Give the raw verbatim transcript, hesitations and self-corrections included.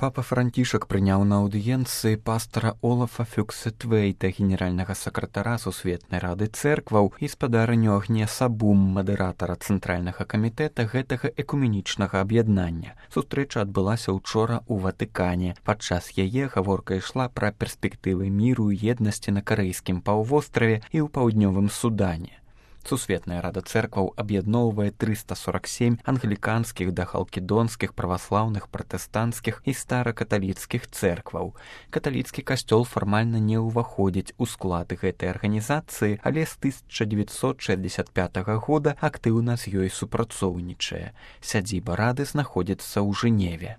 Папа Францішак прыняў на аўдыенцыі пастара Олафа Фюксетвейта, генеральнага сакратара Сусветнай рады цэркваў, і спадарыню Агнеса Бум, мадэратара цэнтральнага камітэта гэтага экуменічнага аб'яднання. Сустрэча адбылася ўчора ў Ватыкане. Падчас яе гаворка ішла пра перспектывы міру і еднасці на карэйскім паўвостраве і ў паўднёвым Судане. Сусветная рада цэркваў аб'ядноўвае трыста сорак сем англіканскіх да халкідонскіх, праваслаўных, пратэстанцкіх і старакаталіцкіх цэркваў. Каталіцкі касцёл фармальна не ўваходзіць у склад гэтай арганізацыі, але з тысяча дзевяцьсот шэсцьдзесят пятага года актыўна з ёй супрацоўнічае. Сядзіба рады знаходзіцца ў Жэневе.